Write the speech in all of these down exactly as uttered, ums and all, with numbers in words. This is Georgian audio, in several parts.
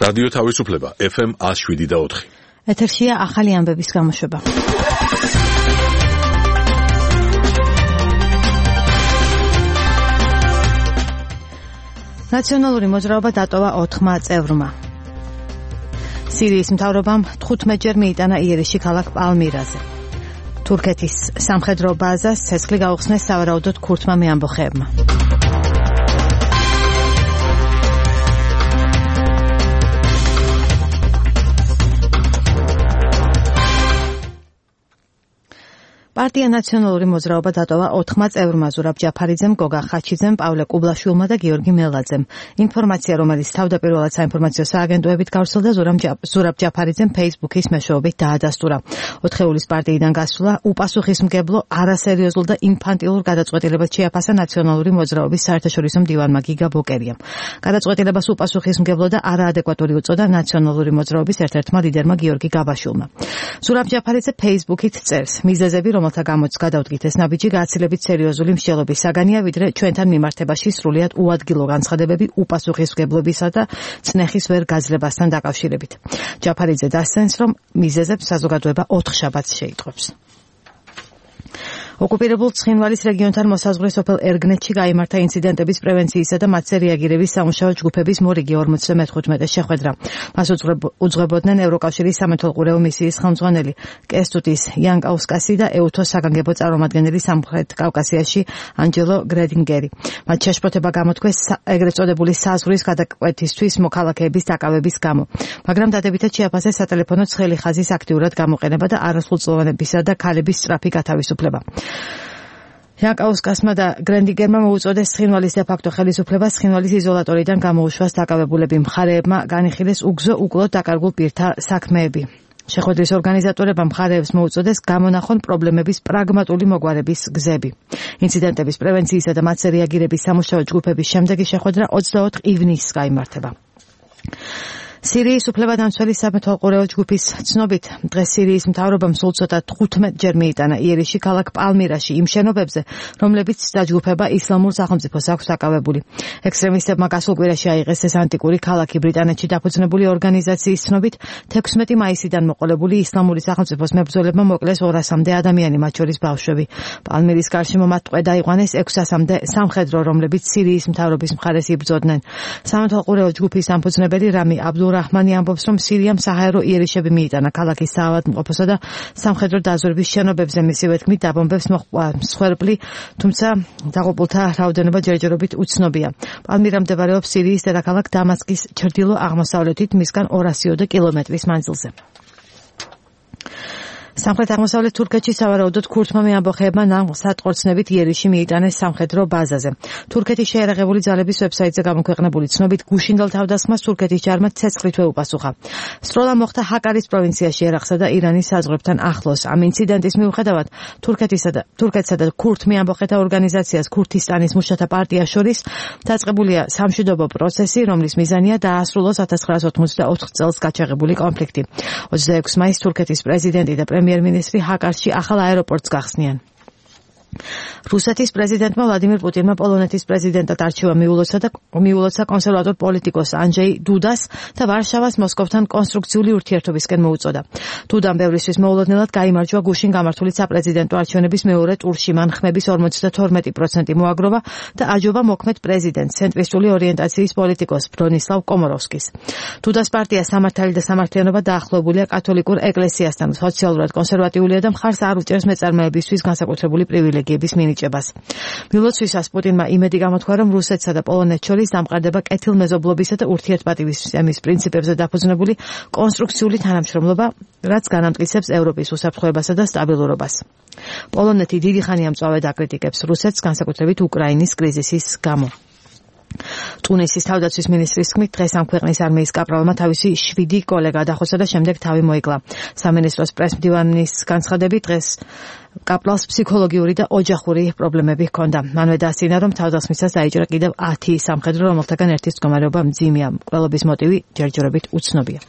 რადიო თავისუფლება ეფ ემ one oh seven და four. ეთერშია ახალი ამბების გამოშვება. ნაციონალური მოძრაობა დატოვა ოთხმა წევრმა. სირიის მთავრობამ თხუთმეტჯერ მიიტანა იერიში ქალაქ პალმირაზე. თურქეთის სამხედრო ბაზას ცეცხლი გაუხსნეს სავარაუდოდ ქურთმა მეამბოხეებმა. პარტია ნაციონალური მოძრაობა დატოვა ოთხმა წევრმა ზურაბ ჯაფარიძემ, გოგა ხაჩიძემ, პავლე კუბლაშვილმა და გიორგი მელაძემ. ინფორმაცია, რომელიც თავდაპირველად საინფორმაციო სააგენტოებით გავრცელდა, ზურაბ ჯაფარიძემ Facebook-ის მეშვეობით დაადასტურა. ოთხეულის პარტიიდან გასვლა უპასუხისმგებლო, არასერიოზულ და ინფანტილურ გადაწყვეტილებას შეაფასა ნაციონალური მოძრაობის საერთაშორისო მდივანმა გიგა ბოკერიამ. გადაწყვეტილებას უპასუხისმგებლო და არაადეკვატური უწოდა ნაციონალური მოძრაობის ერთ-ერთმა ლიდერმა გიორგი გაბაშვილმა. ზურაბ ჯაფარიძე Facebook-ით წერს: მიზეზები, რომელთა გამოც გადავდგით ეს ნაბიჯი, გაცილებით სერიოზული მსჯელობის საგანია, ვიდრე ჩვენთან მიმართებაში სრულიად უადგილო განცხადებები უპასუხისმგებლობისა და წნეხის ვერ გაძლებასთან დაკავშირებით. ჯაფარიძე დასცენს, რომ მიზეზებს საზოგადოება ოთხ შაბათს შეიტყვებს. ოკუპირებულ ცხინვალის რეგიონთან მოსაზღვრე სოფელ ერგნეთში გაიმართა ინციდენტების პრევენციისა და მათზე რეაგირების სამუშაო ჯგუფების მორიგი ორმოცდამეთხუთმეტე შეხვედრა. მას უძღვებოდნენ ევროკავშირის სამეთვალყურეო მისიის ხელმძღვანელი კესტუტის იანკაუსკასი და ეუთოს საგანგებო წარმომადგენელი სამხრეთ კავკასიაში ანჯელო გრედინგერი. მათ შეშფოთება გამოთქვეს ეგრეთ წოდებული საზღვრის გადაკვეთისთვის მოქალაქეების დაკავების გამო, მაგრამ დადებითად შეაფასეს სატელეფონო ცხელი ხაზის აქტიურად გამოყენება და არასრულწლოვანებისა და ქალების სწრაფი გათავისუფლება. იანკაუსკასმა და გრენდინგერმა მოუწოდეს ცხინვალის დე-ფაქტო ხელისუფლებას ცხინვალის იზოლატორიდან გამოუშვას დაკავებულები. მხარეებმა განიხილეს უგზო უკლოდ დაკარგულ პირთა საქმეები. შეხვედრის ორგანიზატორებმა მხარეებს მოუწოდეს გამონახონ პრობლემების პრაგმატული მოგვარების გზები. ინციდენტების პრევენციისა და მათზე რეაგირების სამუშაო ჯგუფების შემდეგი შეხვედრა ოცდაოთხ ივნისს გაიმართება. სირიის უფლებადამცველი სამეთვალყურეო ჯგუფის ცნობით, დღეს სირიის მთავრობამ სულ ცოტა თხუთმეტჯერ მიიტანა იერიში ქალაქ პალმირაში იმ შენობებზე, რომლებიც დაჯგუფება ისლამურ სახელმწიფოს აქვს დაკავებული. ექსტრემისტებმა გასულ კვირაში აიღეს ეს ანტიკური ქალაქი. ბრიტანეთში დაფუძნებული ორგანიზაციის ცნობით, თექვსმეტი მაისიდან მოყოლებული ისლამური სახელმწიფოს მებრძოლებმა მოკლეს ორასამდე ადამიანი, მათ შორის ბავშვები. პალმირის გარშემო მათ ტყვე დაიყვანეს ექვსასამდე სამხედრო, რომლებიც სირიის მთავრობის მხარეს იბრძოდნენ. სამეთვალყურეო ჯგუფის დამფუძნებელი რამი აბდულ რაჰმანი ამბობს, რომ სირიამ საჰაერო იერიშები მიიტანა ქალაქის საავადმყოფოსა და სამხედრო დაზვერვის შენობებზე. მისივე თქმით, დაბომბებს მოჰყვა მსხვერპლი, თუმცა დაღუპულთა რაოდენობა ჯერჯერობით უცნობია. პალმირა მდებარეობს სირიის დედაქალაქ დამასკის ჩრდილო-აღმოსავლეთით, მისგან ორასი ოცდაოთხ კილომეტრის მანძილზე. სამხრეთ-აღმოსავლეთ თურქეთში სავარაუდოდ ქურთმა მეამბოხეებმა ნავსატყორცნებით იერიში მიიტანეს სამხედრო ბაზაზე. თურქეთის შეიარაღებული ძალების ვებსაიტზე გამოქვეყნებული ცნობით, გუშინდელ თავდასხმას თურქეთის ჯარმა ცეცხლითვე უპასუხა. სროლა მოხდა ჰაკარის პროვინციაში, ერაყსა და ირანის საზღვრებთან ახლოს. ამ ინციდენტის მიუხედავად, თურქეთისა და თურქეთსა და ქურთ მეამბოხეთა ორგანიზაციას ქურთისტანის მუშათა პარტიას შორის დაწყებულია სამშვიდობო პროცესი, რომლის მიზანია დაასრულოს ათას ცხრაასი ოთხმოცდაოთხ წელს გაჩაღებული კონფლიქტი. ოცდაექვსი მაისს თურქეთის პრეზიდენტი და პრემიერ-მინისტრი ჰაკარში ახალ აეროპორტს გახსნიან. რუსეთის პრეზიდენტმა ვლადიმირ პუტინმა პოლონეთის პრეზიდენტად არჩევა მიულოცა და მიულოცა კონსერვატორ პოლიტიკოს ანჯეი დუდას და ვარშავას მოსკოვთან კონსტრუქციული ურთიერთობისკენ მოუწოდა. დუდამ ბევრისთვის მოულოდნელად გაიმარჯვა გუშინ გამართული საპრეზიდენტო არჩევნების მეორე ტურში. მან ხმების ორმოცდათორმეტი პროცენტი მოაგროვა და აჯობა მოქმედ პრეზიდენტს, ცენტრისტული ორიენტაციის პოლიტიკოს ბრონისლავ კომოროვსკის. დუდას პარტია სამართალი და სამართლიანობა დაახლოებულია კათოლიკურ ეკლესიასთან, სოციალურად კონსერვატიულია და მხარს არ უჭერს მეწარმეებისთვის განსაკუთრებული პრივილეგიების მინიჭებას. მილოცვისას პუტინმა იმედი გამოთქვა, რომ რუსეთსა და პოლონეთს შორის დამყარდება კეთილმეზობლობისა და ურთიერთპატივისცემის პრინციპებზე დაფუძნებული კონსტრუქციული თანამშრომლობა, რაც განამტკიცებს ევროპის უსაფრთხოებასა და სტაბილურობას. პოლონეთი დიდი ხანია მწვავედ აკრიტიკებს რუსეთს, განსაკუთრებით უკრაინის კრიზისის გამო. ტუნისის თავდაცვის მინისტრის თქმით, დღეს ამ ქვეყნის არმიის კაპრალმა თავისი შვიდი კოლეგა დახოცა და შემდეგ თავი მოიკლა. სამინისტროს პრესმდივანის განცხადებით, დღეს კაპრალს ფსიქოლოგიური და ოჯახური პრობლემები ჰქონდა. მანვე დასწინა, რომ თავდასხმისას დაიჭრა კიდევ ათი სამხედრო, რომელთაგან ერთის მდგომარეობა მძიმეა. მკვლელობის მოტივი ჯერჯერობით უცნობია.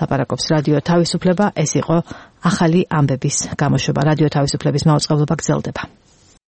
ლაპარაკობს რადიო თავისუფლება, ეს იყო ახალი ამბების გამოშვება. რადიო თავისუფლების მაუწყებლობა გრძელდება.